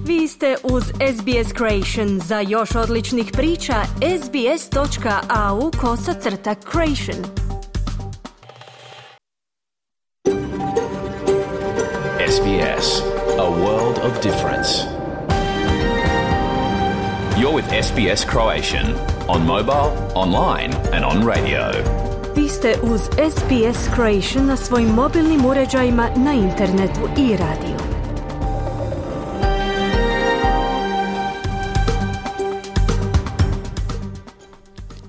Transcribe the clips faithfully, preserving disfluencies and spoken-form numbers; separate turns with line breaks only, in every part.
Vi ste uz S B S Creation. Za još odličnih priča, sbs.au kosacrta creation.
S B S, a world of difference. You're with S B S Croatian on mobile, online and on radio.
Vi ste uz S B S Creation na svojim mobilnim uređajima, na internetu i radiju.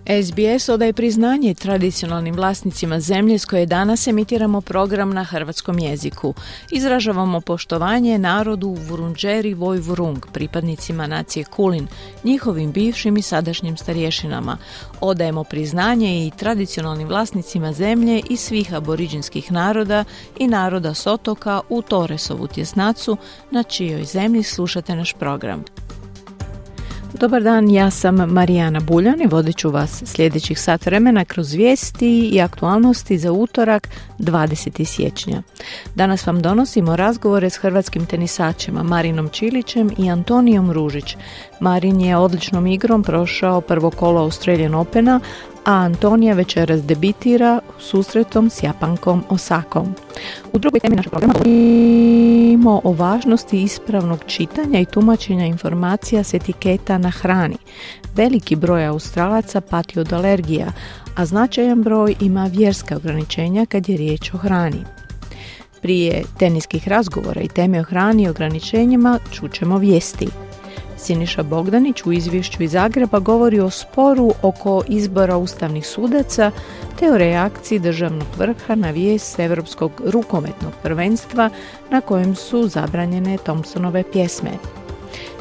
S B S odaje priznanje tradicionalnim vlasnicima zemlje s koje danas emitiramo program na hrvatskom jeziku. Izražavamo poštovanje narodu Vurundjeri Vojvurung, pripadnicima nacije Kulin, njihovim bivšim i sadašnjim starješinama. Odajemo priznanje i tradicionalnim vlasnicima zemlje i svih aboriđinskih naroda i naroda s otoka u Torresovu tjesnacu, na čijoj zemlji slušate naš program. Dobar dan, ja sam Marijana Buljan i vodit ću vas sljedećih sat vremena kroz vijesti i aktualnosti za utorak dvadesetog siječnja. Danas vam donosimo razgovore s hrvatskim tenisačima Marinom Čilićem i Antonijom Ružić. Marin je odličnom igrom prošao prvo kolo Australian Opena, a Antonija večeras debitira susretom s Japankom Osakom. U drugoj temi našeg programa govorimo o važnosti ispravnog čitanja i tumačenja informacija s etiketa na hrani. Veliki broj Australaca pati od alergija, a značajan broj ima vjerska ograničenja kad je riječ o hrani. Prije teniskih razgovora i teme o hrani i ograničenjima čućemo vijesti. Siniša Bogdanić u izvješću iz Zagreba govori o sporu oko izbora ustavnih sudaca te o reakciji državnog vrha na vijest Europskog rukometnog prvenstva na kojem su zabranjene Thompsonove pjesme.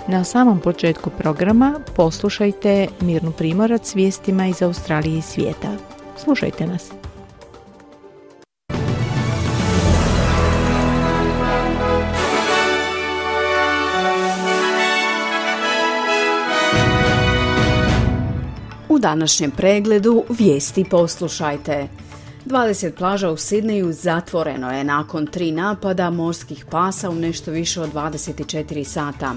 Na samom početku programa poslušajte Mirnu Primorac s vijestima iz Australije i svijeta. Slušajte nas.
U današnjem pregledu vijesti poslušajte. dvadeset plaža u Sidneju zatvoreno je nakon tri napada morskih pasa u nešto više od dvadeset četiri sata.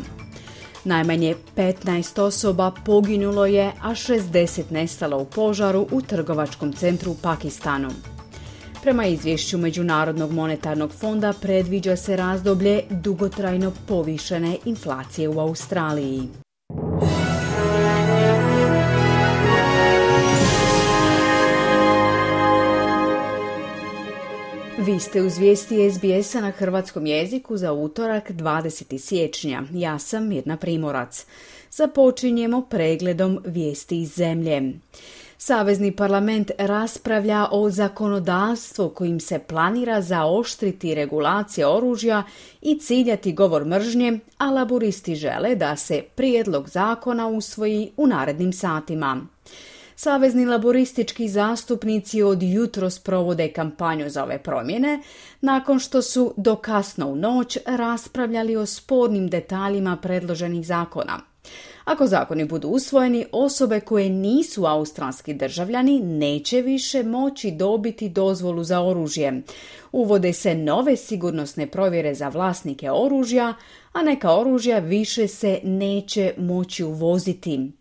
Najmanje petnaest osoba poginulo je, a šezdeset nestalo u požaru u trgovačkom centru u Pakistanu. Prema izvješću Međunarodnog monetarnog fonda predviđa se razdoblje dugotrajno povišene inflacije u Australiji. Vi ste uz vijesti S B S-a na hrvatskom jeziku za utorak dvadesetog siječnja. Ja sam Mirna Primorac. Započinjemo pregledom vijesti iz zemlje. Savezni parlament raspravlja o zakonodavstvu kojim se planira zaoštriti regulacije oružja i ciljati govor mržnje, a laburisti žele da se prijedlog zakona usvoji u narednim satima. Savezni laboristički zastupnici od jutros provode kampanju za ove promjene, nakon što su do kasno u noć raspravljali o spornim detaljima predloženih zakona. Ako zakoni budu usvojeni, osobe koje nisu australski državljani neće više moći dobiti dozvolu za oružje. Uvode se nove sigurnosne provjere za vlasnike oružja, a neka oružja više se neće moći uvoziti.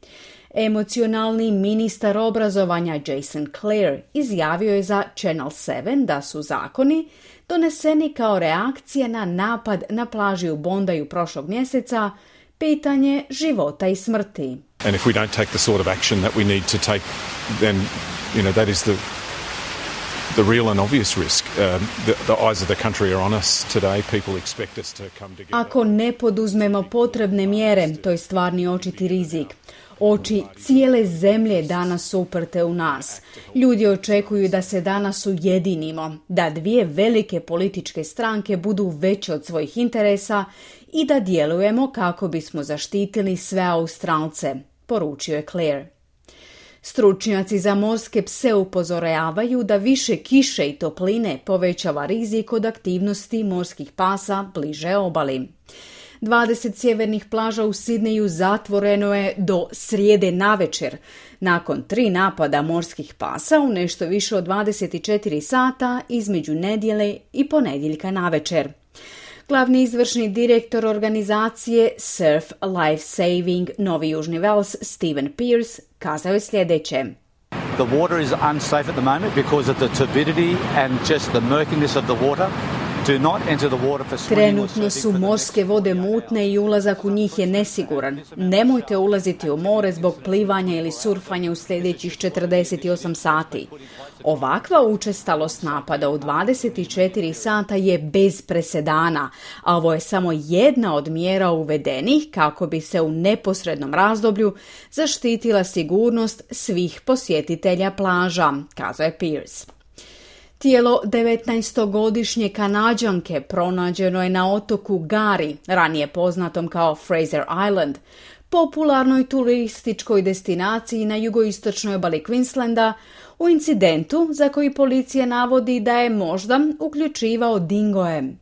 Emocionalni ministar obrazovanja Jason Clare izjavio je za Channel sedam da su zakoni doneseni kao reakcija na napad na plaži u Bondaju prošlog mjeseca, pitanje života i smrti.
And if we don't take the sort of action that we need to take, then you know that is the the real and obvious risk. Um, the, the eyes of the country are on us today. People expect us to come together.
Ako ne poduzmemo potrebne mjere, to je stvarni očiti rizik. Oči cijele zemlje danas su uprte u nas. Ljudi očekuju da se danas ujedinimo, da dvije velike političke stranke budu veće od svojih interesa i da djelujemo kako bismo zaštitili sve Australce, poručio je Clare. Stručnjaci za morske pse upozoravaju da više kiše i topline povećava rizik od aktivnosti morskih pasa bliže obali. dvadeset sjevernih plaža u Sidneju zatvoreno je do srijede navečer, nakon tri napada morskih pasa u nešto više od dvadeset četiri sata između nedjelje i ponedjeljka navečer. Glavni izvršni direktor organizacije Surf Life Saving Novi Južni Vels, Stephen Pierce, kazao je sljedeće.
The water is unsafe at the moment because of the turbidity and just the murkiness of the water. Do not enter the water for swimming.
Trenutno su morske vode mutne i ulazak u njih je nesiguran. Nemojte ulaziti u more zbog plivanja ili surfanja u sljedećih četrdeset osam sati. Ovakva učestalost napada u dvadeset četiri sata je bez presedana, a ovo je samo jedna od mjera uvedenih kako bi se u neposrednom razdoblju zaštitila sigurnost svih posjetitelja plaža, kazao je Pierce. Tijelo devetnaestogodišnje Kanađanke pronađeno je na otoku Gari, ranije poznatom kao Fraser Island, popularnoj turističkoj destinaciji na jugoistočnoj obali Queenslanda, u incidentu za koji policija navodi da je možda uključivao dingoje.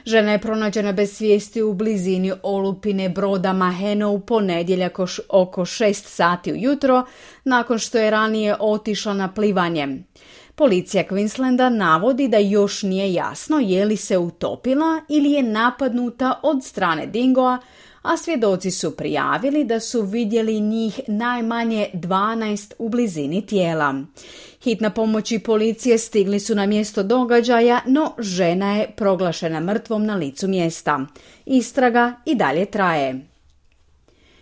Žena je pronađena bez svijesti u blizini olupine broda Maheno u ponedjeljak oko šest sati ujutro, nakon što je ranije otišla na plivanje. Policija Queenslanda navodi da još nije jasno je li se utopila ili je napadnuta od strane dingoa, a svjedoci su prijavili da su vidjeli njih najmanje dvanaest u blizini tijela. Hitna pomoć i policije stigli su na mjesto događaja, no žena je proglašena mrtvom na licu mjesta. Istraga i dalje traje.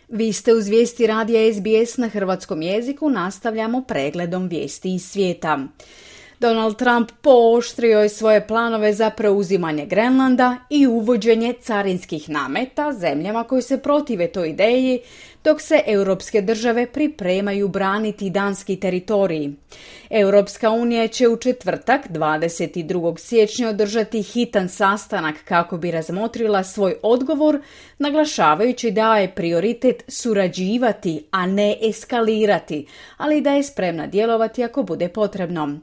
Vi ste uz vijesti radija S B S na hrvatskom jeziku, nastavljamo pregledom vijesti iz svijeta. Donald Trump pooštrio je svoje planove za preuzimanje Grenlanda i uvođenje carinskih nameta zemljama koje se protive toj ideji, dok se europske države pripremaju braniti danski teritorij. Europska unija će u četvrtak, dvadeset drugog siječnja, održati hitan sastanak kako bi razmotrila svoj odgovor, naglašavajući da je prioritet surađivati, a ne eskalirati, ali da je spremna djelovati ako bude potrebno.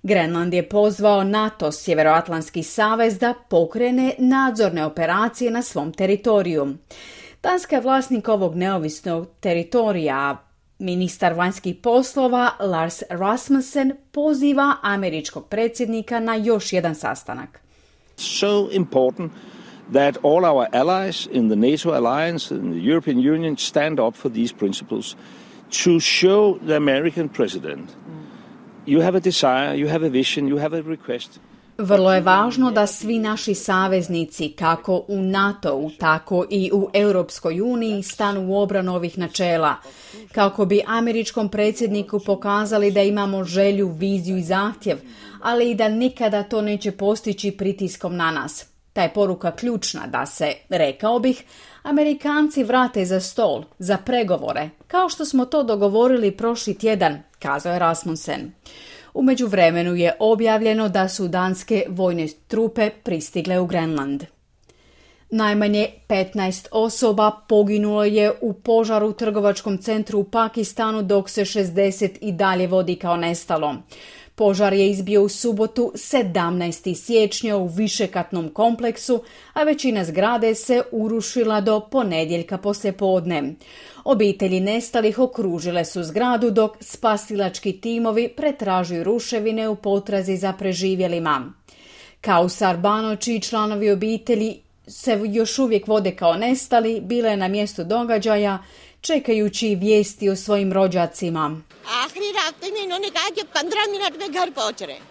Grenland je pozvao NATO, Sjeveroatlantski savez, da pokrene nadzorne operacije na svom teritoriju. Danska je vlasnik ovog neovisnog teritorija. Ministar vanjskih poslova Lars Rasmussen poziva američkog predsjednika na još jedan sastanak.
So important that all our allies in the NATO alliance and the European Union stand up for these principles to show the American president you have a desire, you have a vision, you have a request.
Vrlo je važno da svi naši saveznici, kako u NATO-u, tako i u Europskoj uniji, stanu u obranu ovih načela, kako bi američkom predsjedniku pokazali da imamo želju, viziju i zahtjev, ali i da nikada to neće postići pritiskom na nas. Ta je poruka ključna da se, rekao bih, Amerikanci vrate za stol, za pregovore, kao što smo to dogovorili prošli tjedan, kazao je Rasmussen. U međuvremenu je objavljeno da su danske vojne trupe pristigle u Grenland. Najmanje petnaest osoba poginulo je u požaru u trgovačkom centru u Pakistanu, dok se šezdeset i dalje vodi kao nestalo. Požar je izbio u subotu sedamnaestog siječnja u višekatnom kompleksu, a većina zgrade se urušila do ponedjeljka poslijepodne. Obitelji nestalih okružile su zgradu dok spasilački timovi pretražuju ruševine u potrazi za preživjelima. Kausar Bano, čiji članovi obitelji se još uvijek vode kao nestali, bila je na mjestu događaja čekajući vijesti o svojim rođacima.
आखिरी रास्ते में इन्होंने कहा कि पंद्रह मिनट में घर पहुंच रहे हैं।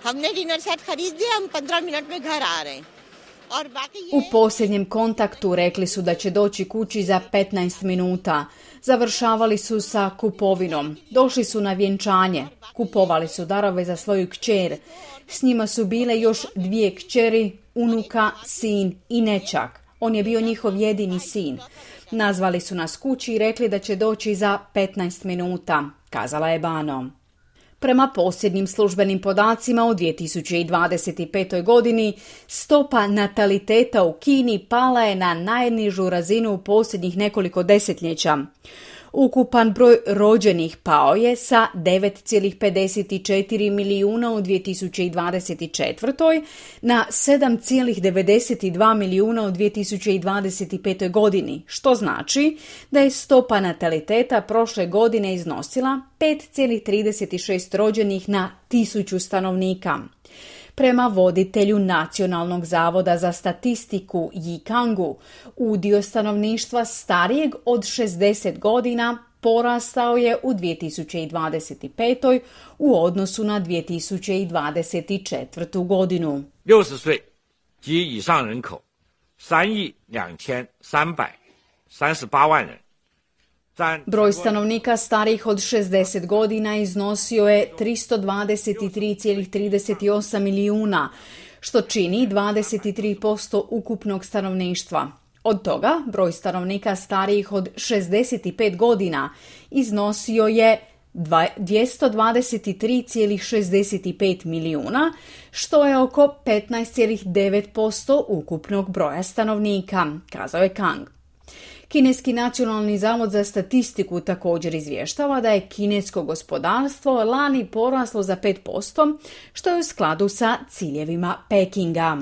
हमने डिनर सेट खरीद दिया, हम पंद्रह मिनट में घर आ रहे हैं। और बाकी ये
U posljednjem kontaktu rekli su da će doći kući za petnaest minuta. Završavali su sa kupovinom. Došli su na vjenčanje. Kupovali su darove za svoju kćer. S njima su bile još dvije kćeri, unuka, sin i nećak. On je bio njihov jedini sin. Nazvali su nas kući i rekli da će doći za petnaest minuta, kazala je Bano. Prema posljednjim službenim podacima u dvije tisuće dvadeset petoj godini stopa nataliteta u Kini pala je na najnižu razinu u posljednjih nekoliko desetljeća. Ukupan broj rođenih pao je sa devet zarez pedeset četiri milijuna u dvije tisuće dvadeset četvrtoj na sedam zarez devedeset dva milijuna u dvije tisuće dvadeset petoj godini, što znači da je stopa nataliteta prošle godine iznosila pet zarez trideset šest rođenih na tisuću stanovnika. Prema voditelju Nacionalnog zavoda za statistiku Yi Kangu, udio stanovništva starijeg od šezdeset godina porastao je u dvije tisuće dvadeset pet. u odnosu na dvije tisuće dvadeset četvrtu. godinu.
六十岁及以上人口三亿两千三百三十八万人。
Broj stanovnika starijih od šezdeset godina iznosio je tristo dvadeset tri zarez trideset osam milijuna, što čini dvadeset tri posto ukupnog stanovništva. Od toga, broj stanovnika starijih od šezdeset pet godina iznosio je dvjesto dvadeset tri zarez šezdeset pet milijuna, što je oko petnaest zarez devet posto ukupnog broja stanovnika, kazao je Kang. Kineski nacionalni zavod za statistiku također izvještava da je kinesko gospodarstvo lani poraslo za pet posto, što je u skladu sa ciljevima Pekinga.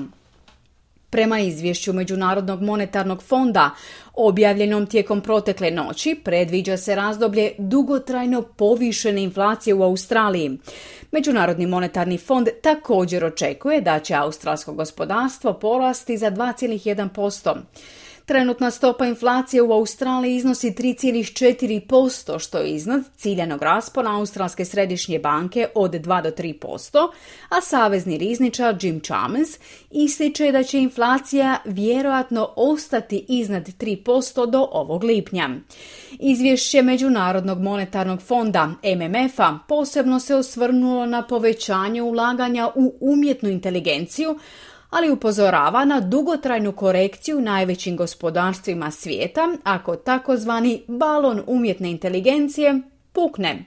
Prema izvješću Međunarodnog monetarnog fonda, objavljenom tijekom protekle noći, predviđa se razdoblje dugotrajno povišene inflacije u Australiji. Međunarodni monetarni fond također očekuje da će australsko gospodarstvo porasti za dva zarez jedan posto. Trenutna stopa inflacije u Australiji iznosi tri zarez četiri posto, što je iznad ciljanog raspona Australske središnje banke od dva do tri posto, a savezni rizničar Jim Chalmers ističe da će inflacija vjerojatno ostati iznad tri posto do ovog lipnja. Izvješće Međunarodnog monetarnog fonda M M F-a posebno se osvrnulo na povećanje ulaganja u umjetnu inteligenciju, ali upozorava na dugotrajnu korekciju u najvećim gospodarstvima svijeta ako takozvani balon umjetne inteligencije pukne.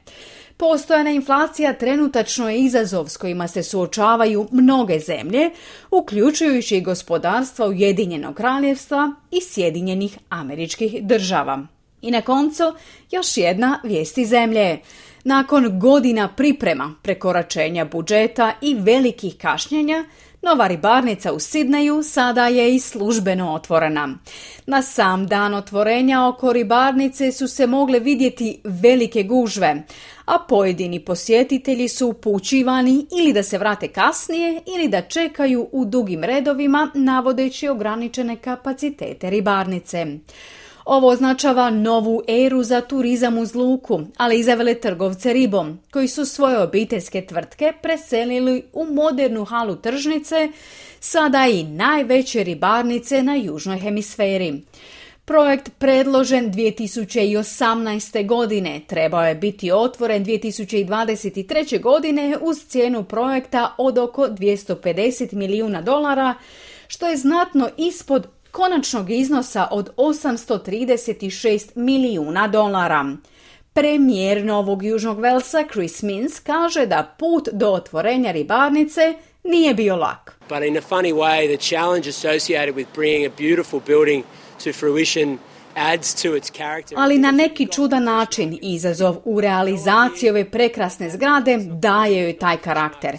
Postojana inflacija trenutačno je izazov s kojima se suočavaju mnoge zemlje, uključujući i gospodarstva Ujedinjenog kraljevstva i Sjedinjenih Američkih Država. I na koncu još jedna vijest iz zemlje. Nakon godina priprema, prekoračenja budžeta i velikih kašnjenja, nova ribarnica u Sidneju sada je i službeno otvorena. Na sam dan otvorenja oko ribarnice su se mogle vidjeti velike gužve, a pojedini posjetitelji su upućivani ili da se vrate kasnije ili da čekaju u dugim redovima navodeći ograničene kapacitete ribarnice. Ovo označava novu eru za turizam uz luku, ali i za veletrgovce ribom, koji su svoje obiteljske tvrtke preselili u modernu halu tržnice, sada i najveće ribarnice na južnoj hemisferi. Projekt predložen dvije tisuće osamnaeste. godine trebao je biti otvoren dvije tisuće dvadeset treće. godine uz cijenu projekta od oko dvjesto pedeset milijuna dolara, što je znatno ispod konačnog iznosa od osamsto trideset šest milijuna dolara. Premijer Novog Južnog Velsa Chris Minns kaže da put do otvorenja ribarnice nije bio lak.
But in a funny way, the challenge associated with bringing a beautiful building to fruition adds to its character.
Ali na neki čudan način izazov u realizaciji ove prekrasne zgrade daje joj taj karakter.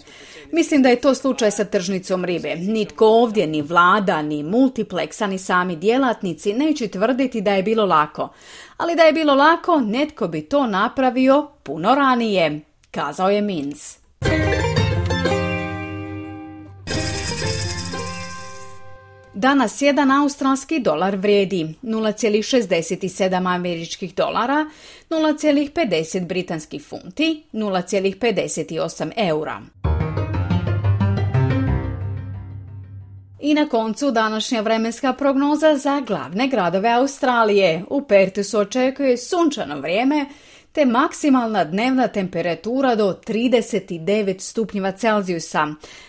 Mislim da je to slučaj sa tržnicom ribe. Nitko ovdje, ni vlada, ni multipleksa, ni sami djelatnici neće tvrditi da je bilo lako. Ali da je bilo lako, netko bi to napravio puno ranije, kazao je Minns. Danas jedan australski dolar vrijedi nula zarez šezdeset sedam američkih dolara, nula zarez pedeset britanskih funti, nula zarez pedeset osam eura. I na koncu današnja vremenska prognoza za glavne gradove Australije. U Perthu se očekuje sunčano vrijeme te maksimalna dnevna temperatura do trideset devet stupnjeva Celzijusa.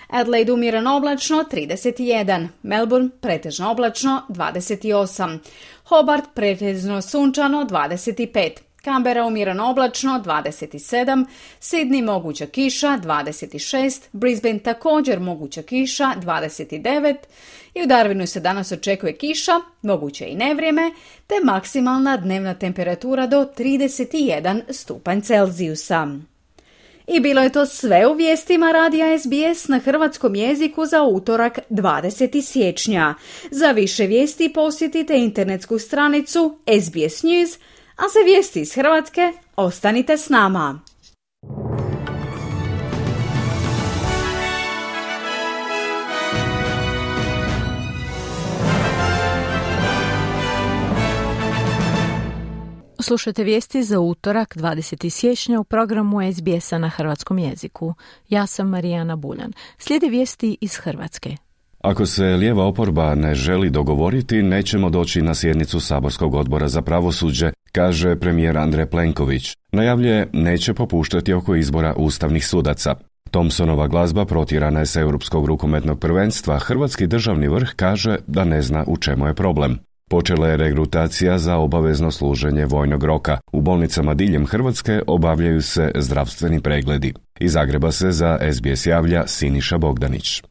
Adelaide umjereno oblačno trideset jedan, Melbourne pretežno oblačno dvadeset osam, Hobart pretežno sunčano dvadeset pet, Canberra umjereno oblačno dvadeset sedam, Sydney moguća kiša dvadeset šest, Brisbane također moguća kiša dvadeset devet i u Darwinu se danas očekuje kiša, moguće i nevrijeme, te maksimalna dnevna temperatura do trideset jedan stupanj Celzijusa. I bilo je to sve u vijestima radija S B S na hrvatskom jeziku za utorak dvadesetog siječnja. Za više vijesti posjetite internetsku stranicu S B S News, a za vijesti iz Hrvatske ostanite s nama.
Slušajte vijesti za utorak dvadesetog siječnja u programu es be es-a na hrvatskom jeziku. Ja sam Marijana Buljan. Slijede vijesti iz Hrvatske.
Ako se lijeva oporba ne želi dogovoriti, nećemo doći na sjednicu Saborskog odbora za pravosuđe, kaže premijer Andrej Plenković. Najavljuje neće popuštati oko izbora ustavnih sudaca. Thompsonova glazba protjerana je s Europskog rukometnog prvenstva. Hrvatski državni vrh kaže da ne zna u čemu je problem. Počela je regrutacija za obavezno služenje vojnog roka. U bolnicama diljem Hrvatske obavljaju se zdravstveni pregledi. Iz Zagreba se za es be es javlja Siniša Bogdanić.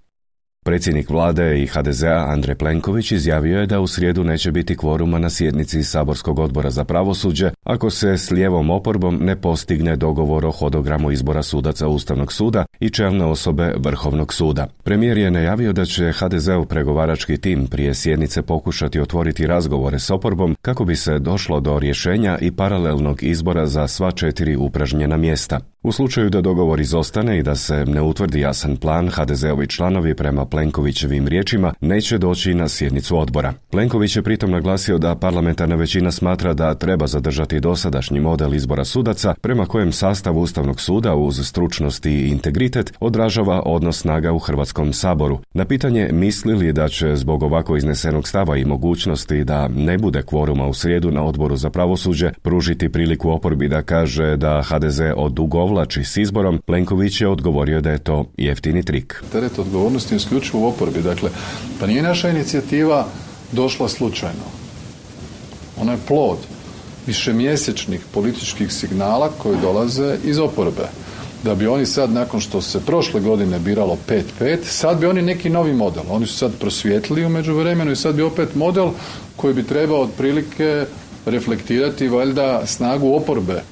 Predsjednik vlade i ha de ze-a Andrej Plenković izjavio je da u srijedu neće biti kvoruma na sjednici Saborskog odbora za pravosuđe ako se s lijevom oporbom ne postigne dogovor o hodogramu izbora sudaca Ustavnog suda i čelne osobe Vrhovnog suda. Premijer je najavio da će ha de ze-ov pregovarački tim prije sjednice pokušati otvoriti razgovore s oporbom kako bi se došlo do rješenja i paralelnog izbora za sva četiri upražnjena mjesta. U slučaju da dogovor izostane i da se ne utvrdi jasan plan, ha de ze-ovi članovi prema Plenkovićevim riječima neće doći na sjednicu odbora. Plenković je pritom naglasio da parlamentarna većina smatra da treba zadržati dosadašnji model izbora sudaca prema kojem sastav Ustavnog suda uz stručnost i integritet odražava odnos snaga u Hrvatskom saboru. Na pitanje misli li da će zbog ovako iznesenog stava i mogućnosti da ne bude kvoruma u srijedu na odboru za pravosuđe pružiti priliku oporbi da kaže da ha de ze odugovlači s izborom, Plenković je odgovorio da je to jeftini trik.
Teret odgovornosti je isključivo u oporbi. Dakle, pa nije naša inicijativa došla slučajno. Ona je plod višemjesečnih političkih signala koji dolaze iz oporbe. Da bi oni sad, nakon što se prošle godine biralo pet pet, sad bi oni neki novi model. Oni su sad prosvijetlili u međuvremenu i sad bi opet model koji bi trebao otprilike reflektirati valjda snagu oporbe,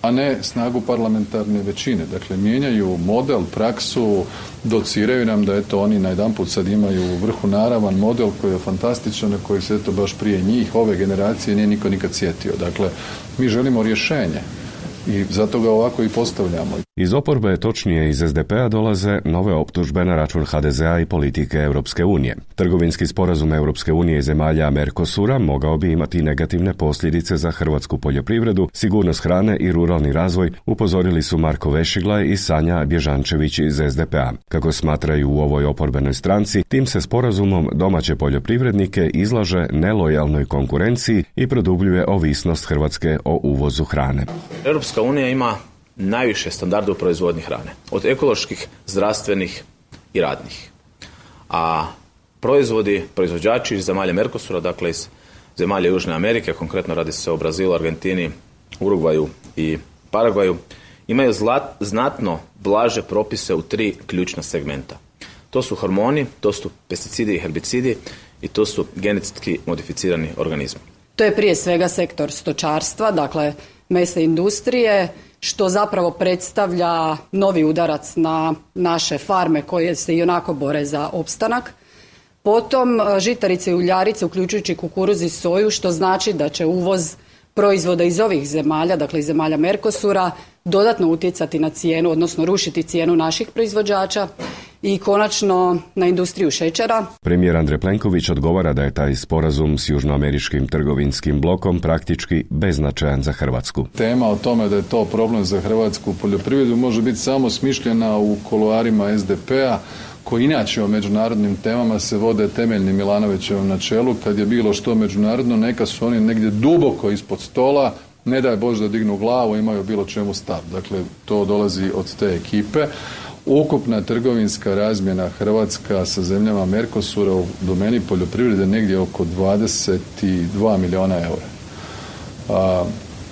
a ne snagu parlamentarne većine. Dakle, mijenjaju model, praksu, dociraju nam da eto oni najedanput sad imaju u vrhu naravan model koji je fantastičan, a koji se eto baš prije njih, ove generacije, nije niko nikad sjetio. Dakle, mi želimo rješenje i zato ga ovako i postavljamo.
Iz oporbe, točnije iz es de pe-a, dolaze nove optužbe na račun ha de ze-a i politike Europske unije. Trgovinski sporazum Europske unije i zemalja Mercosura mogao bi imati negativne posljedice za hrvatsku poljoprivredu, sigurnost hrane i ruralni razvoj, upozorili su Marko Vešiglaj i Sanja Bježančević iz es de pe-a. Kako smatraju u ovoj oporbenoj stranci, tim se sporazumom domaće poljoprivrednike izlaže nelojalnoj konkurenciji i produbljuje ovisnost Hrvatske o uvozu hrane.
Europska unija ima najviše standarda u proizvodnji hrane, od ekoloških, zdravstvenih i radnih. A proizvodi, proizvođači iz zemalja Mercosura, dakle iz zemalja Južne Amerike, konkretno radi se o Brazilu, Argentini, Urugvaju i Paragvaju, imaju zlat, znatno blaže propise u tri ključna segmenta. To su hormoni, to su pesticidi i herbicidi i to su genetski modificirani organizmi.
To je prije svega sektor stočarstva, dakle mesne industrije, što zapravo predstavlja novi udarac na naše farme koje se ionako bore za opstanak. Potom žitarice i uljarice, uključujući kukuruz i soju, što znači da će uvoz proizvoda iz ovih zemalja, dakle iz zemalja Mercosura, dodatno utjecati na cijenu, odnosno rušiti cijenu naših proizvođača i konačno na industriju šećera.
Premijer Andrej Plenković odgovara da je taj sporazum s južnoameričkim trgovinskim blokom praktički beznačajan za Hrvatsku.
Tema o tome da je to problem za hrvatsku poljoprivredu može biti samo smišljena u kuloarima es de pe-a, koji inače o međunarodnim temama se vode temeljnim Milanovićevom načelu. Kad je bilo što međunarodno, neka su oni negdje duboko ispod stola, ne daj Bože da dignu glavu, imaju bilo čemu stav. Dakle, to dolazi od te ekipe. Ukupna trgovinska razmjena Hrvatska sa zemljama Mercosura u domeni poljoprivrede negdje oko dvadeset dva milijuna eura. A,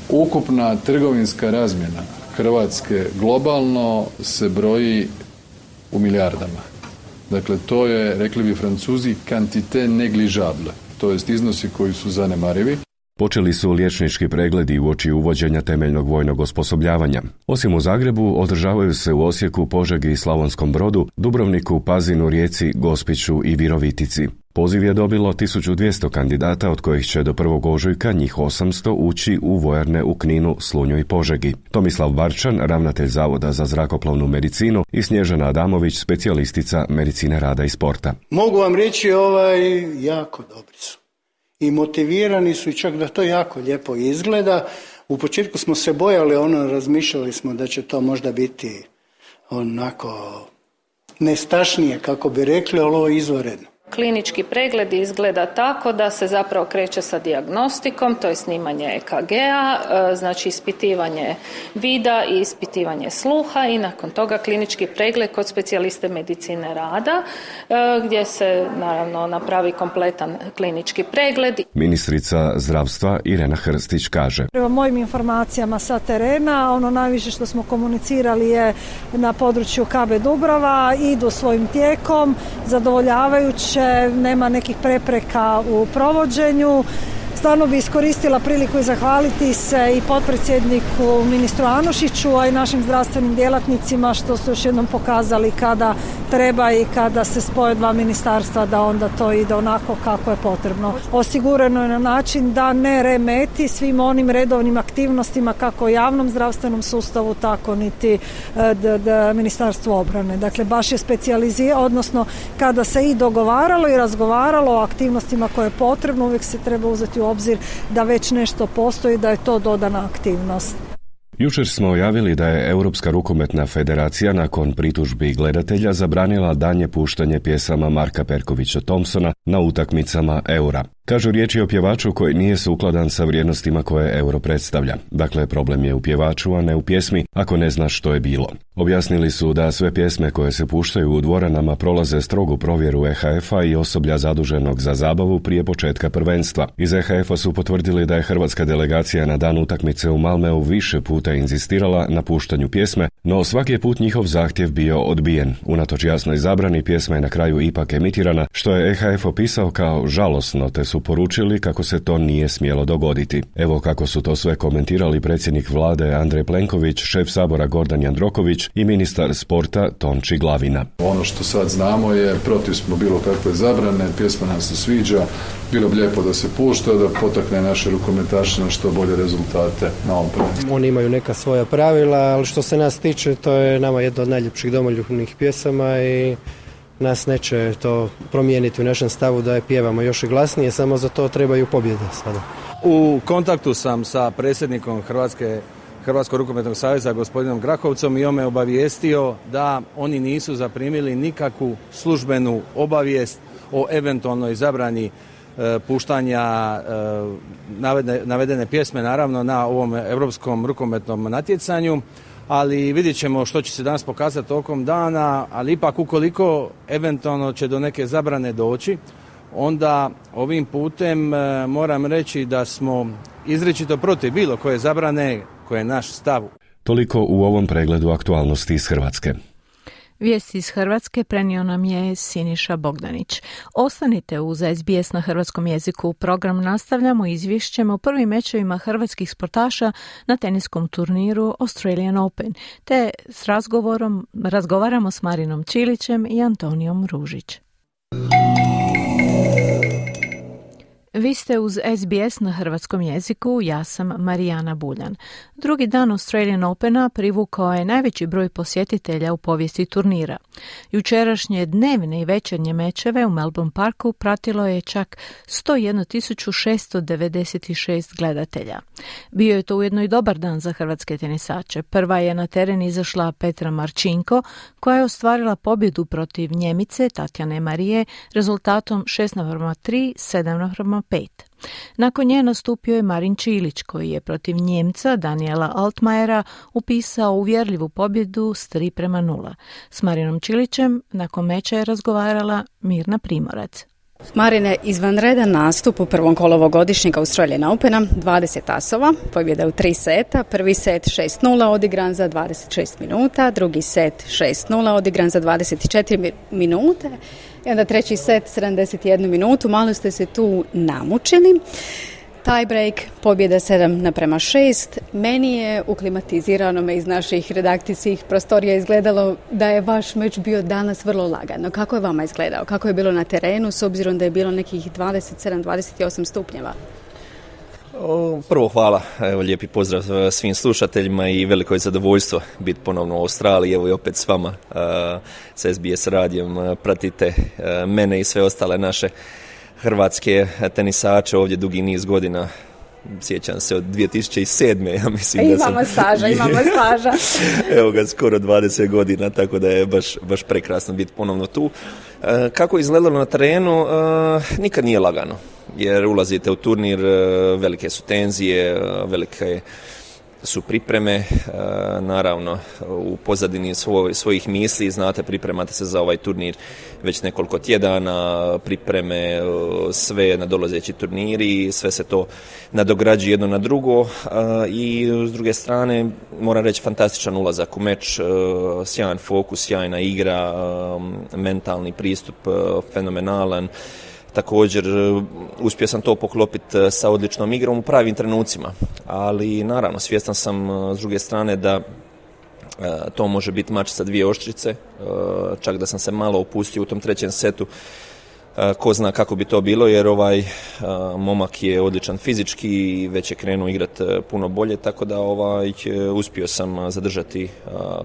ukupna trgovinska razmjena Hrvatske globalno se broji u milijardama. Dakle, to je, rekli bi Francuzi, quantité négligeable, to jest iznosi koji su zanemarivi.
Počeli su liječnički pregledi uoči uvođenja temeljnog vojnog osposobljavanja. Osim u Zagrebu, održavaju se u Osijeku, Požegi i Slavonskom Brodu, Dubrovniku, Pazinu, Rijeci, Gospiću i Virovitici. Poziv je dobilo tisuću dvjesto kandidata, od kojih će do prvog ožujka njih osamsto ući u vojarne u Kninu, Slunju i Požegi. Tomislav Barčan, ravnatelj Zavoda za zrakoplovnu medicinu, i Snježana Adamović, specijalistica medicine rada i sporta.
Mogu vam reći, ovaj, jako dobri su. i motivirani su i čak da to jako lijepo izgleda. U početku smo se bojali, ono, razmišljali smo da će to možda biti onako nestašnije, kako bi rekli, ali ovo je izvanredno.
Klinički pregled izgleda tako da se zapravo kreće sa dijagnostikom, to je snimanje E K G-a, znači ispitivanje vida i ispitivanje sluha i nakon toga klinički pregled kod specijaliste medicine rada gdje se naravno napravi kompletan klinički pregled.
Ministrica zdravstva Irena Hrstić kaže:
Prema mojim informacijama sa terena, ono najviše što smo komunicirali je na području K B Dubrava, idu svojim tijekom, zadovoljavajuće, nema nekih prepreka u provođenju. Stvarno bi iskoristila priliku i zahvaliti se i potpredsjedniku ministru Anušiću, a i našim zdravstvenim djelatnicima što su još jednom pokazali kada treba i kada se spoje dva ministarstva da onda to ide onako kako je potrebno. Osigurano je na način da ne remeti svim onim redovnim aktivnostima kako u javnom zdravstvenom sustavu, tako niti d, d, Ministarstvu obrane. Dakle, baš je specijalizirano, odnosno kada se i dogovaralo i razgovaralo o aktivnostima koje je potrebno, uvijek se treba uzeti u obzir da već nešto postoji, da je to dodana aktivnost.
Jučer smo javili da je Europska rukometna federacija nakon pritužbi gledatelja zabranila danje puštanje pjesama Marka Perkovića Thompsona na utakmicama Eura. Kažu riječi o pjevaču koji nije sukladan sa vrijednostima koje Euro predstavlja. Dakle, problem je u pjevaču, a ne u pjesmi, ako ne znaš što je bilo. Objasnili su da sve pjesme koje se puštaju u dvoranama prolaze strogu provjeru E H F-a i osoblja zaduženog za zabavu prije početka prvenstva. Iz E H F-a su potvrdili da je hrvatska delegacija na dan utakmice u Malmeu više puta inzistirala na puštanju pjesme, no svaki je put njihov zahtjev bio odbijen. Unatoč jasnoj zabrani, pjesma je na kraju ipak emitirana, što je E H F opisao kao žalosno, te su poručili kako se to nije smjelo dogoditi. Evo kako su to sve komentirali predsjednik vlade Andrej Plenković, šef Sabora Gordan Jandroković i ministar sporta Tonči Glavina.
Ono što sad znamo je, protiv smo bilo kakve zabrane, pjesma nam se sviđa, bilo bi lijepo da se pušta, da potakne naše rukometaše na što bolje rezultate na ovom prvenstvu.
Oni imaju neka svoja pravila, ali što se nas tiče, to je nama jedna od najljepših domoljubnih pjesama i nas neće to promijeniti u našem stavu da je pjevamo još i glasnije, samo za to trebaju pobjede sada.
U kontaktu sam sa predsjednikom Hrvatske, Hrvatskog rukometnog saveza gospodinom Grahovcom i on me obavijestio da oni nisu zaprimili nikakvu službenu obavijest o eventualnoj zabrani e, puštanja e, navedene, navedene pjesme naravno na ovom europskom rukometnom natjecanju. Ali vidjet ćemo što će se danas pokazati tokom dana, ali ipak ukoliko eventualno će do neke zabrane doći, onda ovim putem e, moram reći da smo izričito protiv bilo koje zabrane, koje je naš stav.
Toliko u ovom pregledu aktualnosti iz Hrvatske.
Vijesti iz Hrvatske prenio nam je Siniša Bogdanić. Ostanite uz S B S na hrvatskom jeziku. Program nastavljamo izvješćem o prvim mečevima hrvatskih sportaša na teniskom turniru Australian Open, te s razgovorom razgovaramo s Marinom Čilićem i Antonijom Ružić. Vi ste uz S B S na hrvatskom jeziku, ja sam Marijana Buljan. Drugi dan Australian Opena privukao je najveći broj posjetitelja u povijesti turnira. Jučerašnje dnevne i večernje mečeve u Melbourne Parku pratilo je čak sto jednu tisuću šesto devedeset šest gledatelja. Bio je to ujedno i dobar dan za hrvatske tenisače. Prva je na teren izašla Petra Marčinko, koja je ostvarila pobjedu protiv Njemice Tatjane Marije rezultatom šest naprema tri, sedam naprema pet. Nakon nje nastupio je Marin Čilić, koji je protiv Njemca Daniela Altmajera upisao uvjerljivu pobjedu s tri prema nula. S Marinom Čilićem nakon meča je razgovarala Mirna Primorac.
Marine, izvanredan nastup u prvom kolu ovogodišnjeg Australian Opena, dvadeset asova, pobjeda u tri seta, prvi set šest nula odigran za dvadeset šest minuta, drugi set šest nula odigran za dvadeset četiri minute i onda treći set sedamdeset jednu minutu, malo ste se tu namučili. Tie break, pobjeda sedam naprema šest. Meni je u klimatiziranom iz naših redakcijskih prostorija izgledalo da je vaš meč bio danas vrlo lagano. Kako je vama izgledao? Kako je bilo na terenu s obzirom da je bilo nekih dvadeset sedam dvadeset osam stupnjeva?
Prvo hvala, evo lijepi pozdrav svim slušateljima i veliko je zadovoljstvo biti ponovno u Australiji, evo i opet s vama uh, s S B S radijom, uh, pratite uh, mene i sve ostale naše hrvatske tenisače ovdje dugi niz godina. Sjećam se od dvije tisuće sedme. Ja mislim
imamo
da sam...
staža, imamo staža.
Evo ga, skoro dvadeset godina, tako da je baš, baš prekrasno biti ponovno tu. E, kako je izgledalo na terenu? E, nikad nije lagano, jer ulazite u turnir, velike su tenzije, velike su pripreme, naravno u pozadini svoj, svojih misli, znate, pripremate se za ovaj turnir već nekoliko tjedana, pripreme, sve nadolazeći turniri, sve se to nadograđuje jedno na drugo i s druge strane moram reći fantastičan ulazak u meč, sjajan fokus, sjajna igra, mentalni pristup fenomenalan. Također, uspio sam to poklopiti sa odličnom igrom u pravim trenucima, ali naravno svjestan sam s druge strane da to može biti mač sa dvije oštrice, čak da sam se malo opustio u tom trećem setu, ko zna kako bi to bilo, jer ovaj momak je odličan fizički i već je krenuo igrati puno bolje, tako da ovaj, uspio sam zadržati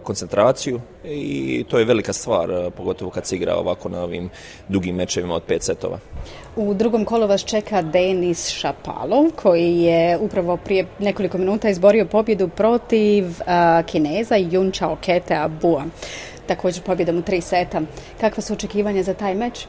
koncentraciju i to je velika stvar, pogotovo kad se igra ovako na ovim dugim mečevima od pet setova.
U drugom kolu vas čeka Denis Shapovalov, koji je upravo prije nekoliko minuta izborio pobjedu protiv uh, Kineza Yun Chao Ketea Bua. Također pobjedom u tri seta. Kakva su očekivanja za taj meč?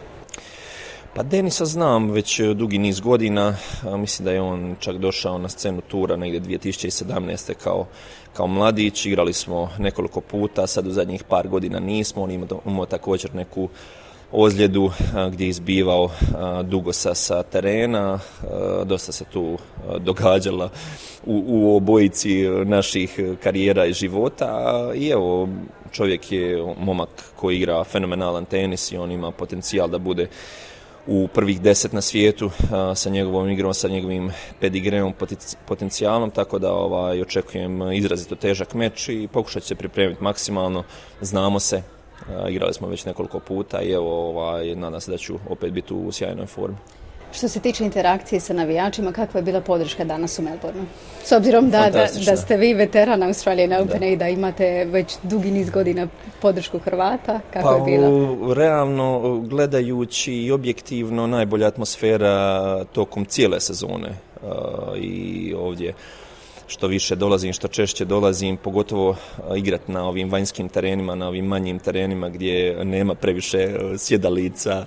Pa Denisa znam već dugi niz godina, mislim da je on čak došao na scenu tura negdje dvije tisuće sedamnaeste kao, kao mladić, igrali smo nekoliko puta, sad u zadnjih par godina nismo, on imao, imao također neku ozljedu gdje je izbivao dugo sa, sa terena, dosta se tu događala u, u obojici naših karijera i života i evo, čovjek je momak koji igra fenomenalan tenis i on ima potencijal da bude u prvih deset na svijetu a, sa njegovom igrom, sa njegovim pedigreom, potencijalom, tako da ovaj, očekujem izrazito težak meč i pokušat ću se pripremiti maksimalno, znamo se, a, igrali smo već nekoliko puta i evo, ovaj, nadam se da ću opet biti u sjajnoj formi.
Što se tiče interakcije sa navijačima, kakva je bila podrška danas u Melbourneu? S obzirom da, da, da ste vi veteran Australian Opena i da imate već dugi niz godina podršku Hrvata, kako
pa,
je bilo?
Realno, gledajući i objektivno, najbolja atmosfera tokom cijele sezone uh, i ovdje što više dolazim, što češće dolazim, pogotovo igrati na ovim vanjskim terenima, na ovim manjim terenima gdje nema previše sjedalica.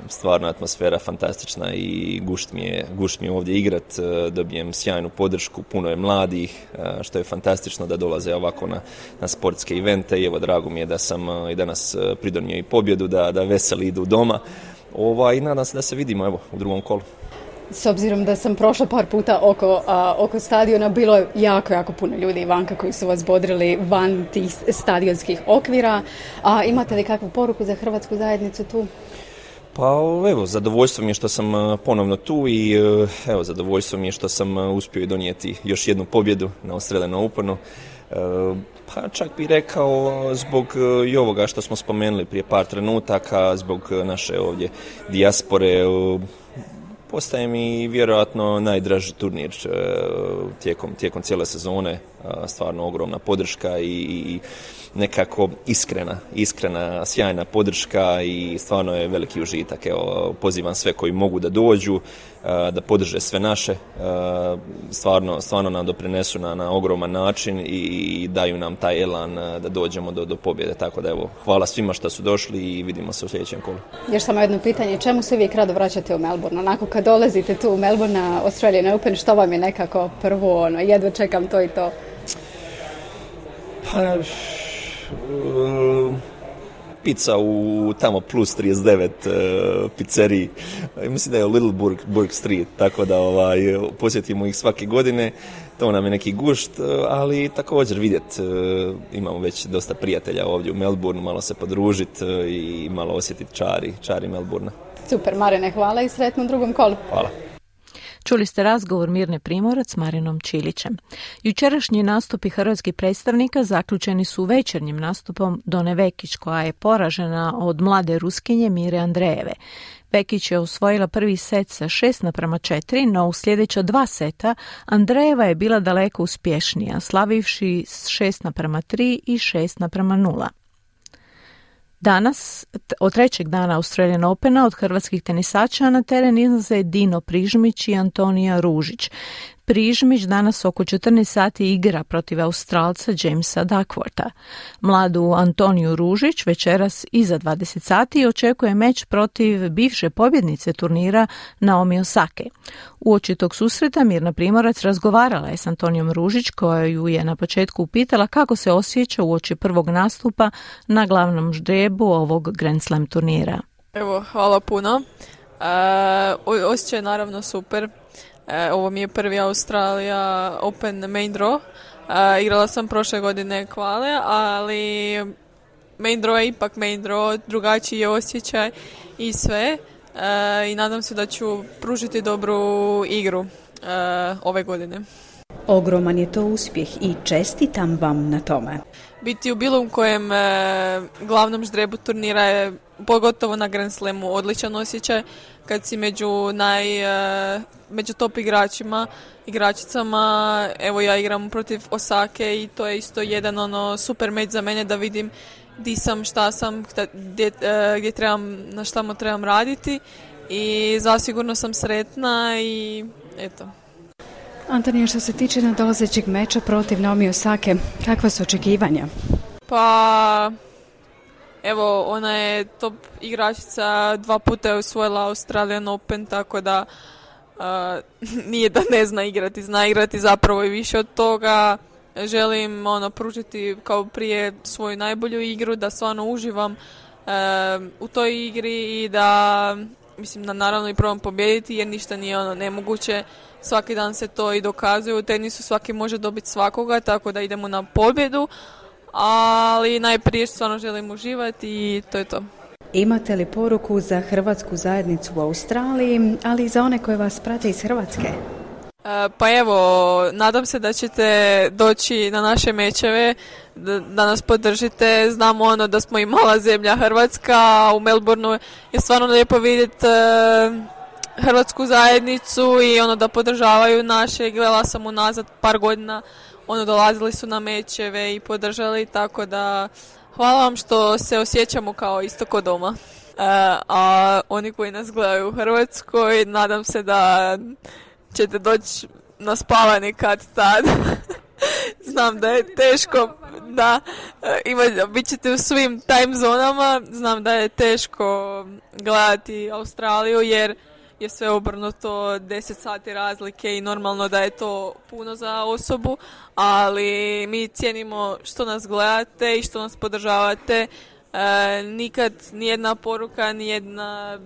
Stvarno atmosfera fantastična i gušt mi je, gušt mi je ovdje igrat, dobijem sjajnu podršku, puno je mladih, što je fantastično da dolaze ovako na, na sportske evente i evo drago mi je da sam i danas pridonio i pobjedu, da, da veseli idu doma Ova, i nadam se da se vidimo evo u drugom kolu.
S obzirom da sam prošla par puta oko, a, oko stadiona, bilo je jako, jako puno ljudi vanka koji su vas bodrili van tih stadionskih okvira. A imate li kakvu poruku za hrvatsku zajednicu tu?
Pa evo, zadovoljstvo mi je što sam ponovno tu i evo, zadovoljstvo mi je što sam uspio donijeti još jednu pobjedu na Australian Openu. Pa čak bih rekao zbog i ovoga što smo spomenuli prije par trenutaka, zbog naše ovdje dijaspore, postaje mi vjerojatno najdraži turnir tijekom, tijekom cijele sezone, stvarno ogromna podrška i, i nekako iskrena, iskrena, sjajna podrška i stvarno je veliki užitak. Evo, pozivam sve koji mogu da dođu, da podrže sve naše, stvarno, stvarno nam doprinesu na, na ogroman način i daju nam taj elan da dođemo do, do pobjede. Tako da evo, hvala svima što su došli i vidimo se u sljedećem kolu.
Još samo jedno pitanje, čemu se uvijek rado vraćate u Melbourne? Onako kad dolazite tu u Melbourne na Australian Open, što vam je nekako prvo, ono, jedva čekam to i to?
Pa, Uh, pizza u tamo plus trideset devet uh, pizzeriji. Mislim da je Little Burg, Burg Street, tako da ovaj, posjetimo ih svake godine. To nam je neki gušt, ali također vidjet, uh, imamo već dosta prijatelja ovdje u Melbourneu, malo se podružiti uh, i malo osjetiti čari, čari Melbournea.
Super, Marine, hvala i sretno u drugom kolu.
Hvala.
Čuli ste razgovor Mirne Primorac s Marinom Čilićem. Jučerašnji nastupi hrvatskih predstavnika zaključeni su večernjim nastupom Done Vekić, koja je poražena od mlade Ruskinje Mire Andrejeve. Vekić je osvojila prvi set sa šest naprama četiri, no u sljedeća dva seta Andrejeva je bila daleko uspješnija, slavivši s šest naprama tri i šest naprama nula. Danas, od trećeg dana Australian Opena, od hrvatskih tenisača na teren izlaze Dino Prižmić i Antonija Ružić. Prižmić danas oko četrnaest sati igra protiv Australca Jamesa Duckwortha. Mladu Antoniju Ružić večeras iza dvadeset sati očekuje meč protiv bivše pobjednice turnira Naomi Osake. Uoči tog susreta Mirna Primorac razgovarala je s Antonijom Ružić, koja ju je na početku upitala kako se osjeća uoči prvog nastupa na glavnom ždrijebu ovog Grand Slam turnira.
Evo, hvala puno. E, osjećaj je naravno super. E, ovo mi je prvi Australia Open main draw. E, igrala sam prošle godine kvale, ali main draw je ipak main draw, drugačiji je osjećaj i sve. E, I nadam se da ću pružiti dobru igru e, ove godine.
Ogroman je to uspjeh i čestitam vam na tome.
Biti u bilo kojem e, glavnom ždrebu turnira je, pogotovo na Grand Slamu, odličan osjećaj kad si među naj e, među top igračima, igračicama. Evo, ja igram protiv Osake i to je isto jedan ono super meč za mene da vidim di sam, šta sam, gdje, e, gdje trebam, na šta mu trebam raditi i zasigurno sam sretna i eto.
Antonija, što se tiče nadolazećeg meča protiv Naomi Osake, kakva su očekivanja?
Pa, evo, ona je top igračica, dva puta je osvojila Australian Open, tako da uh, nije da ne zna igrati, zna igrati zapravo i više od toga. Želim ono, pružiti kao prije svoju najbolju igru, da stvarno uživam uh, u toj igri i da, mislim, da naravno i probam pobijediti, jer ništa nije ono nemoguće. Svaki dan se to i dokazuje, u tenisu svaki može dobiti svakoga, tako da idemo na pobjedu, ali najprije stvarno želim uživati i to je to.
Imate li poruku za hrvatsku zajednicu u Australiji, ali i za one koje vas prate iz Hrvatske?
E, pa evo, nadam se da ćete doći na naše mečeve, da, da nas podržite. Znamo ono da smo i mala zemlja Hrvatska, u Melbourneu je stvarno lijepo vidjeti e, hrvatsku zajednicu i ono da podržavaju naše. Gledala sam unazad par godina, ono dolazili su na mečeve i podržali, tako da hvala vam što se osjećamo kao isto kod doma. E, a oni koji nas gledaju u Hrvatskoj, nadam se da ćete doći na spavanje kad tad. Znam da je teško, da ima, bit ćete u svim time zonama, znam da je teško gledati Australiju jer je sve obrnuto, deset sati razlike i normalno da je to puno za osobu, ali mi cijenimo što nas gledate i što nas podržavate. E, nikad nijedna poruka, nijedna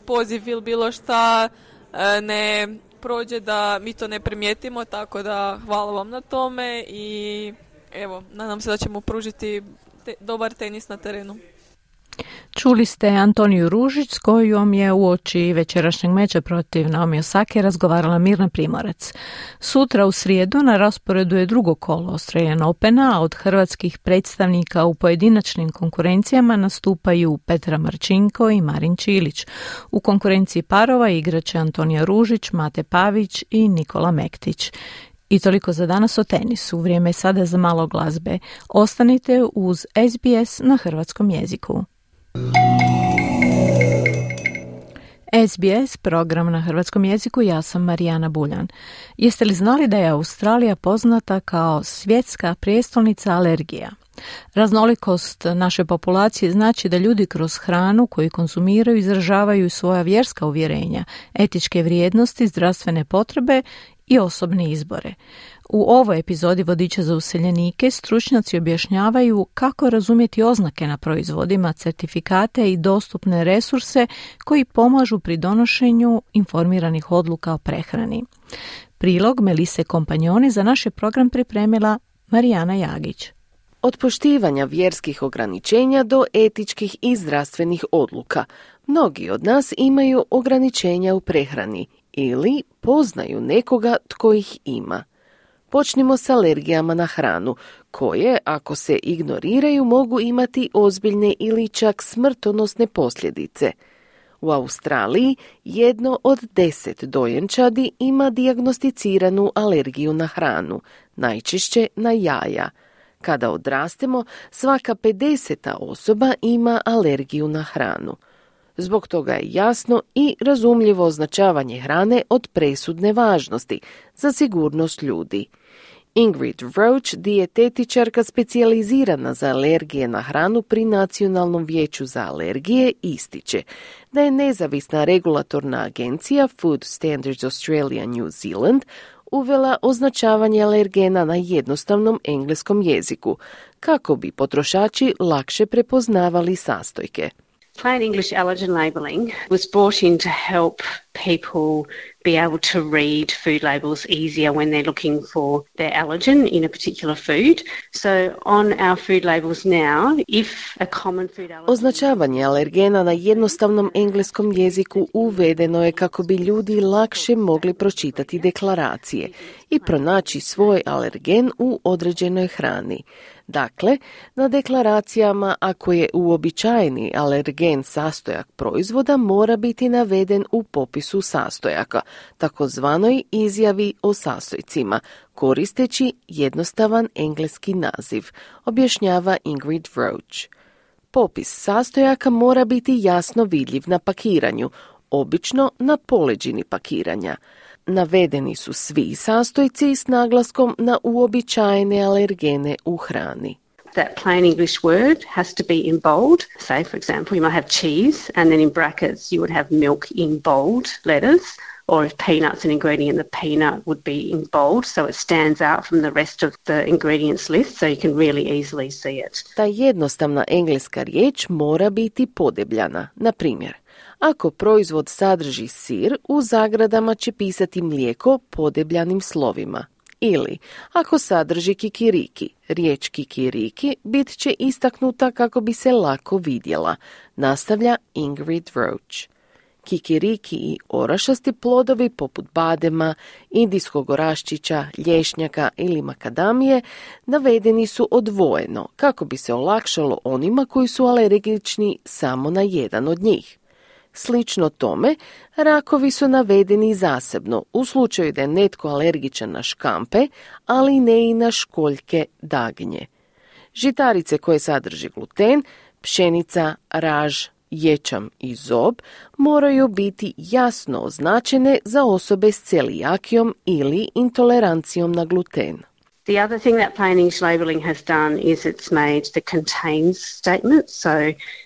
poziv ili bilo šta e, ne prođe da mi to ne primijetimo, tako da hvala vam na tome i evo, nadam se da ćemo pružiti te, dobar tenis na terenu.
Čuli ste Antoniju Ružić s kojom je uoči večerašnjeg meča protiv Naomi Osake razgovarala Mirna Primorac. Sutra u srijedu na rasporedu je drugo kolo Australian Opena, a od hrvatskih predstavnika u pojedinačnim konkurencijama nastupaju Petra Marčinko i Marin Čilić. U konkurenciji parova igraće Antonija Ružić, Mate Pavić i Nikola Mektić. I toliko za danas o tenisu. Vrijeme je sada za malo glazbe. Ostanite uz S B S na hrvatskom jeziku. S B S, program na hrvatskom jeziku, ja sam Marijana Buljan. Jeste li znali da je Australija poznata kao svjetska prijestolnica alergija? Raznolikost naše populacije znači da ljudi kroz hranu koju konzumiraju izražavaju svoja vjerska uvjerenja, etičke vrijednosti, zdravstvene potrebe i osobne izbore. U ovoj epizodi Vodiča za useljenike stručnjaci objašnjavaju kako razumjeti oznake na proizvodima, certifikate i dostupne resurse koji pomažu pri donošenju informiranih odluka o prehrani. Prilog Melise Kompanjoni za naš je program pripremila Marijana Jagić.
Od poštivanja vjerskih ograničenja do etičkih i zdravstvenih odluka, mnogi od nas imaju ograničenja u prehrani ili poznaju nekoga tko ih ima. Počnimo s alergijama na hranu, koje, ako se ignoriraju, mogu imati ozbiljne ili čak smrtonosne posljedice. U Australiji jedno od deset dojenčadi ima dijagnosticiranu alergiju na hranu, najčešće na jaja. Kada odrastemo, svaka pedeseta osoba ima alergiju na hranu. Zbog toga je jasno i razumljivo označavanje hrane od presudne važnosti za sigurnost ljudi. Ingrid Roach, dijetetičarka specijalizirana za alergije na hranu pri Nacionalnom vijeću za alergije, ističe da je nezavisna regulatorna agencija Food Standards Australia New Zealand uvela označavanje alergena na jednostavnom engleskom jeziku, kako bi potrošači lakše prepoznavali sastojke.
Plain English allergen labelling was brought in to help people be able to read food labels easier when they're looking for their allergen in a particular food. So on our food labels now, if a common food allergen...
Označavanje alergena na jednostavnom engleskom jeziku uvedeno je kako bi ljudi lakše mogli pročitati deklaracije i pronaći svoj alergen u određenoj hrani. Dakle, na deklaracijama ako je uobičajeni alergen sastojak proizvoda mora biti naveden u popisu sastojaka, takozvanoj izjavi o sastojcima, koristeći jednostavan engleski naziv, objašnjava Ingrid Roach. Popis sastojaka mora biti jasno vidljiv na pakiranju, obično na poleđini pakiranja. Navedeni su svi sastojci s naglaskom na uobičajene alergene u hrani.
That plain English word has to be in bold. Say, for example, you might have cheese and then in brackets you would have milk in bold letters, or if peanuts an ingredient, the peanut would be in bold, so it stands out from the rest of the ingredients list, so you can really easily see it.
Ta jednostavna engleska riječ mora biti podebljana. Na primjer, ako proizvod sadrži sir, u zagradama će pisati mlijeko podebljanim slovima. Ili, ako sadrži kikiriki, riječ kikiriki bit će istaknuta kako bi se lako vidjela, nastavlja Ingrid Roach. Kikiriki i orašasti plodovi poput badema, indijskog oraščića, lješnjaka ili makadamije navedeni su odvojeno kako bi se olakšalo onima koji su alergični samo na jedan od njih. Slično tome, rakovi su navedeni zasebno u slučaju da je netko alergičan na škampe, ali ne i na školjke dagnje. Žitarice koje sadrže gluten, pšenica, raž, ječam i zob moraju biti jasno označene za osobe s celijakijom ili intolerancijom na gluten.
The other thing that plain English labelling has done is it's made the contains statement. So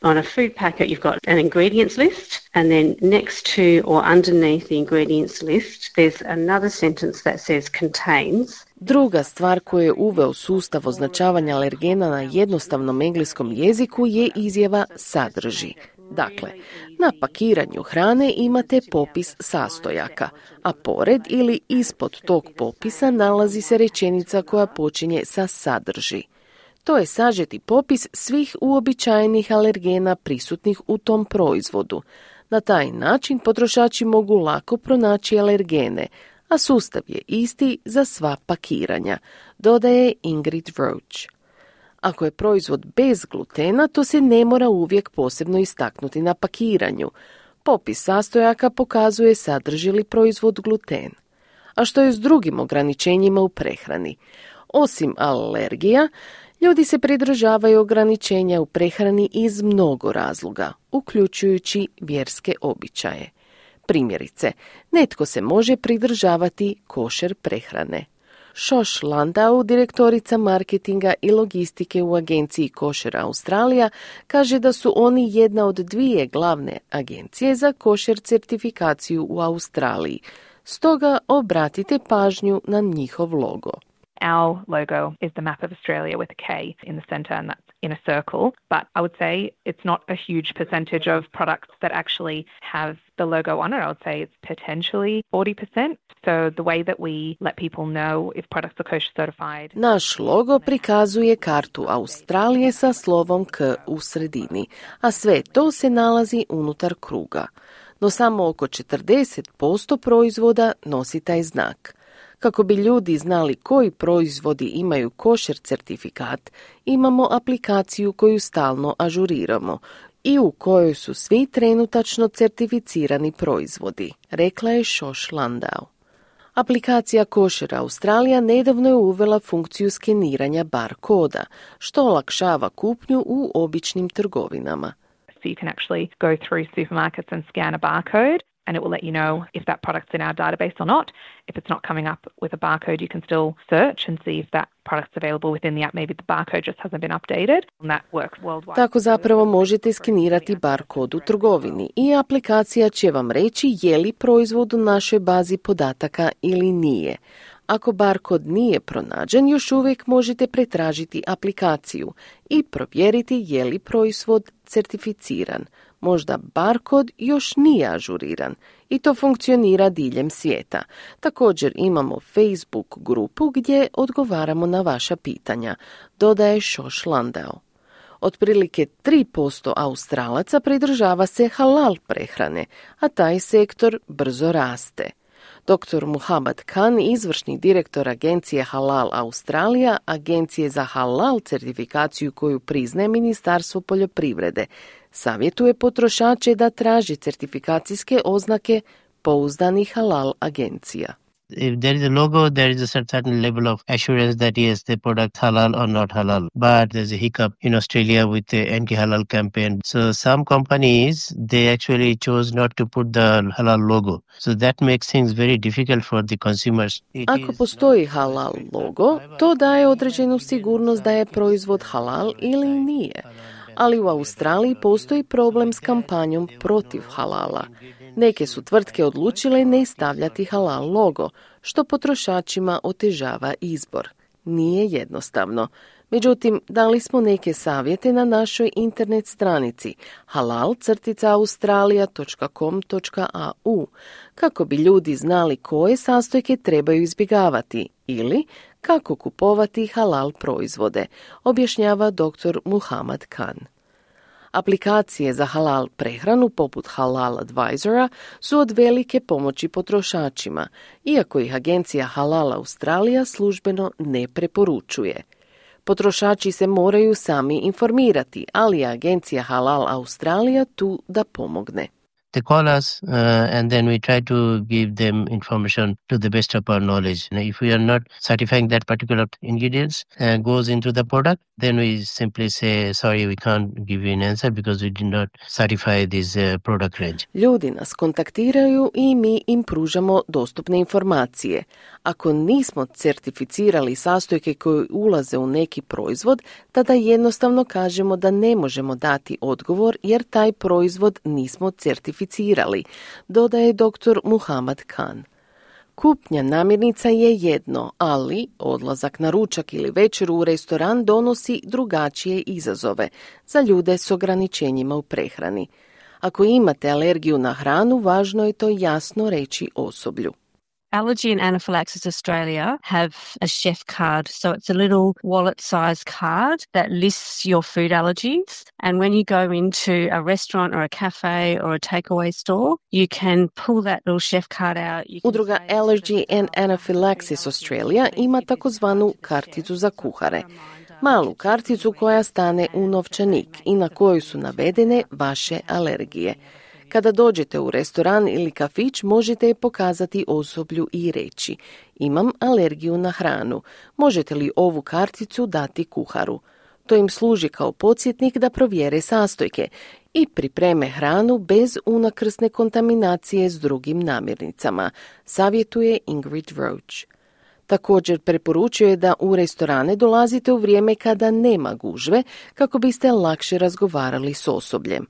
on a food packet you've got an ingredients list, and then next to or underneath the ingredients list there's another sentence that says contains.
Druga stvar koju je uveo sustav označavanja alergena na jednostavnom engleskom jeziku je izjava sadrži. Dakle, na pakiranju hrane imate popis sastojaka, a pored ili ispod tog popisa nalazi se rečenica koja počinje sa sadrži. To je sažeti popis svih uobičajenih alergena prisutnih u tom proizvodu. Na taj način potrošači mogu lako pronaći alergene, a sustav je isti za sva pakiranja, dodaje Ingrid Roach. Ako je proizvod bez glutena, to se ne mora uvijek posebno istaknuti na pakiranju. Popis sastojaka pokazuje sadrži li proizvod gluten. A što je s drugim ograničenjima u prehrani? Osim alergija, ljudi se pridržavaju ograničenja u prehrani iz mnogo razloga, uključujući vjerske običaje. Primjerice, netko se može pridržavati košer prehrane. Šoš Landau, direktorica marketinga i logistike u agenciji Košer Australija, kaže da su oni jedna od dvije glavne agencije za košer certifikaciju u Australiji. Stoga obratite pažnju na njihov logo.
Our logo is the map of Australia with a K in the centre, and that's in a circle. But I would say it's not a huge percentage of products that actually have the logo on it. I would say it's potentially forty percent. So the way that we let people know if products are kosher certified.
Naš logo prikazuje kartu Australije sa slovom K u sredini, a sve to se nalazi unutar kruga. No samo oko četrdeset posto proizvoda nosi taj znak. Kako bi ljudi znali koji proizvodi imaju košer certifikat, imamo aplikaciju koju stalno ažuriramo i u kojoj su svi trenutačno certificirani proizvodi, rekla je Šoš Landau. Aplikacija Kosher Australija nedavno je uvela funkciju skeniranja bar koda, što olakšava kupnju u običnim trgovinama.
So you can actually go through supermarkets and scan a barcode, and it will let you know if that product's in our database or not. If it's not coming up with a barcode, you can still search and see if that product's available within the app. Maybe the barcode just hasn't been updated. And that works worldwide.
Tako zapravo možete skenirati bar kod u trgovini i aplikacija će vam reći je li proizvod u našoj bazi podataka ili nije. Ako barkod nije pronađen, još uvijek možete pretražiti aplikaciju i provjeriti je li proizvod certificiran. Možda barkod još nije ažuriran i to funkcionira diljem svijeta. Također imamo Facebook grupu gdje odgovaramo na vaša pitanja, dodaje Šoš Landau. Otprilike tri posto Australaca pridržava se halal prehrane, a taj sektor brzo raste. doktor Muhammad Khan, izvršni direktor agencije Halal Australija, agencije za halal certifikaciju koju priznaje Ministarstvo poljoprivrede, savjetuje potrošače da traže certifikacijske oznake pouzdanih halal agencija.
If there is a logo, there is a certain level of assurance that yes, the product halal or not halal. But there's a hiccup in Australia with the anti-halal campaign. So some companies, they actually chose not to put the halal logo. So that makes things very difficult for the consumers. It
Ako postoji halal logo, to daje određenu sigurnost da je proizvod halal ili nije. Ali u Australiji postoji problem s kampanjom protiv halala. Neke su tvrtke odlučile ne stavljati halal logo, što potrošačima otežava izbor. Nije jednostavno. Međutim, dali smo neke savjete na našoj internet stranici halal dash australia dot com dot a u kako bi ljudi znali koje sastojke trebaju izbjegavati ili kako kupovati halal proizvode, objašnjava doktor Muhammad Khan. Aplikacije za halal prehranu poput Halal Advisora su od velike pomoći potrošačima, iako ih agencija Halal Australija službeno ne preporučuje. Potrošači se moraju sami informirati, ali je agencija Halal Australija tu da pomogne.
They call us uh, and then we try to give them information to the best of our knowledge. Now, if we are not certifying that particular ingredients uh, goes into the product, then we simply say, sorry, we can't give you an answer because we did not certify this uh, product range.
Ljudi nas kontaktiraju i mi im pružamo dostupne informacije. Ako nismo certificirali sastojke koje ulaze u neki proizvod, tada jednostavno kažemo da ne možemo dati odgovor jer taj proizvod nismo certificirali, dodaje doktor Muhammad Khan. Kupnja namirnica je jedno, ali odlazak na ručak ili večeru u restoran donosi drugačije izazove za ljude s ograničenjima u prehrani. Ako imate alergiju na hranu, važno je to jasno reći osoblju.
Allergy and Anaphylaxis Australia have a chef card. So it's a little wallet-sized card that lists your food allergies. And when you go into a restaurant or a cafe or a takeaway store, you can pull that little chef card out.
Udruga Allergy and Anaphylaxis Australia ima takozvanu karticu za kuhare. Malu karticu koja stane u novčanik i na kojoj su navedene vaše alergije. Kada dođete u restoran ili kafić, možete je pokazati osoblju i reći: imam alergiju na hranu, možete li ovu karticu dati kuharu? To im služi kao podsjetnik da provjere sastojke i pripreme hranu bez unakrsne kontaminacije s drugim namirnicama, savjetuje Ingrid Roach. Također preporučuje da u restorane dolazite u vrijeme kada nema gužve kako biste lakše razgovarali s osobljem.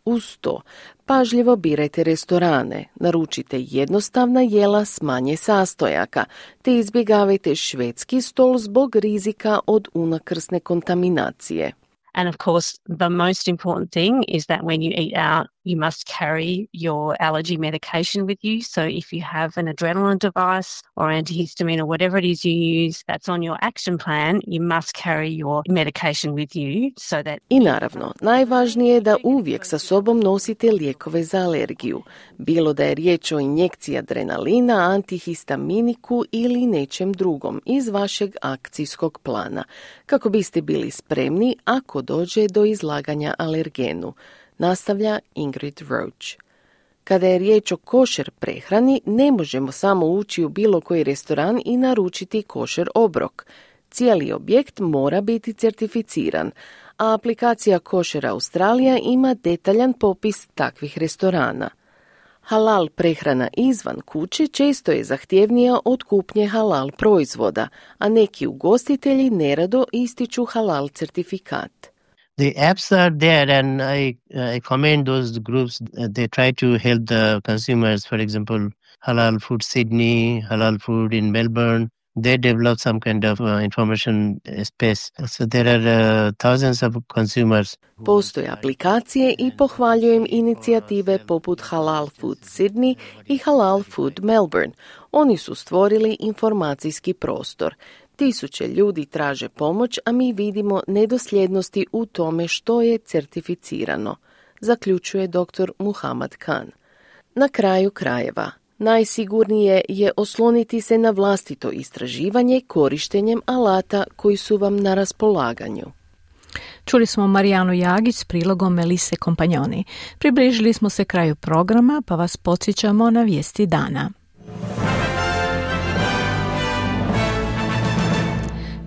Uz to, pažljivo birajte restorane, naručite jednostavna jela s manje sastojaka, te izbjegavajte švedski stol zbog rizika od unakrsne kontaminacije.
And of course, the most important thing is that when you eat out, you must carry your allergy medication with you. So if you have an adrenaline device or antihistamine or whatever it is you use that's on your action plan, you must carry your medication with you so that...
I naravno, najvažnije je da uvijek sa sobom nosite lijekove za alergiju, bilo da je riječ o injekciji adrenalina, antihistaminiku ili nečem drugom iz vašeg akcijskog plana, kako biste bili spremni ako dođe do izlaganja alergenu, nastavlja Ingrid Roach. Kada je riječ o košer prehrani, ne možemo samo ući u bilo koji restoran i naručiti košer obrok. Cijeli objekt mora biti certificiran, a aplikacija Kosher Australija ima detaljan popis takvih restorana. Halal prehrana izvan kuće često je zahtjevnija od kupnje halal proizvoda, a neki ugostitelji nerado ističu halal certifikat.
The apps are there and I, I commend those groups. They try to help the consumers, for example, Halal Food Sydney, Halal Food in Melbourne. They develop some kind of uh, information space. So there are uh, thousands of consumers.
Postoje aplikacije i pohvaljujem inicijative poput Halal Food Sydney i Halal Food Melbourne. Oni su stvorili informacijski prostor. Tisuće ljudi traže pomoć, a mi vidimo nedosljednosti u tome što je certificirano, zaključuje doktor Muhammad Khan. Na kraju krajeva, najsigurnije je osloniti se na vlastito istraživanje korištenjem alata koji su vam na raspolaganju.
Čuli smo Marijanu Jagić s prilogom Melise Kompanjoni. Približili smo se kraju programa, pa vas podsjećamo na vijesti dana.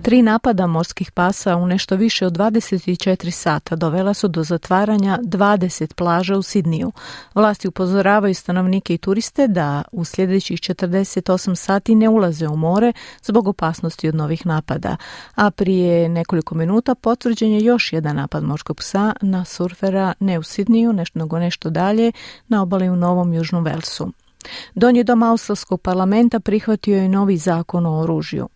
Tri napada morskih pasa u nešto više od dvadeset četiri sata dovela su do zatvaranja dvadeset plaža u Sidniju. Vlasti upozoravaju stanovnike i turiste da u sljedećih četrdeset osam sati ne ulaze u more zbog opasnosti od novih napada. A prije nekoliko minuta potvrđen je još jedan napad morskog psa na surfera ne u Sidniju, nešto nego nešto dalje, na obali u Novom Južnom Velsu. Donji dom australskog parlamenta prihvatio je novi zakon o oružju.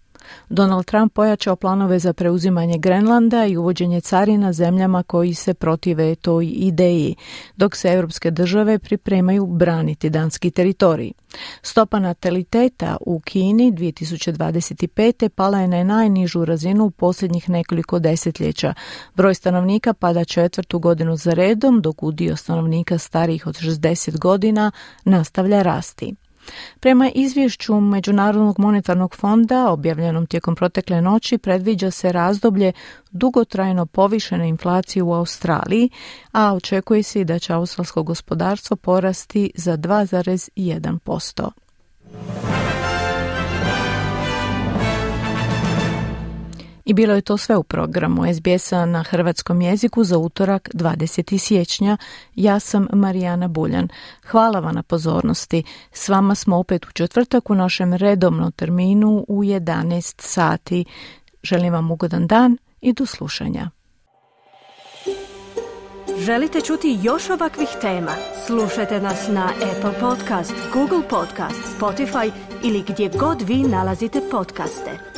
Donald Trump pojačao planove za preuzimanje Grenlanda i uvođenje carina zemljama koji se protive toj ideji, dok se europske države pripremaju braniti danski teritorij. Stopa nataliteta u Kini dvije tisuće dvadeset pete pala je na najnižu razinu u posljednjih nekoliko desetljeća. Broj stanovnika pada četvrtu godinu za redom, dok udio stanovnika starijih od šezdeset godina nastavlja rasti. Prema izvješću Međunarodnog monetarnog fonda objavljenom tijekom protekle noći predviđa se razdoblje dugotrajno povišene inflacije u Australiji, a očekuje se i da će australsko gospodarstvo porasti za dva zarez jedan posto. I bilo je to sve u programu es be es-a na hrvatskom jeziku za utorak dvadesetog siječnja. Ja sam Marijana Buljan. Hvala vam na pozornosti. S vama smo opet u četvrtak u našem redovnom terminu u jedanaest sati. Želim vam ugodan dan i do slušanja.
Želite čuti još ovakvih tema? Slušajte nas na Apple Podcast, Google Podcast, Spotify ili gdje god vi nalazite podcaste.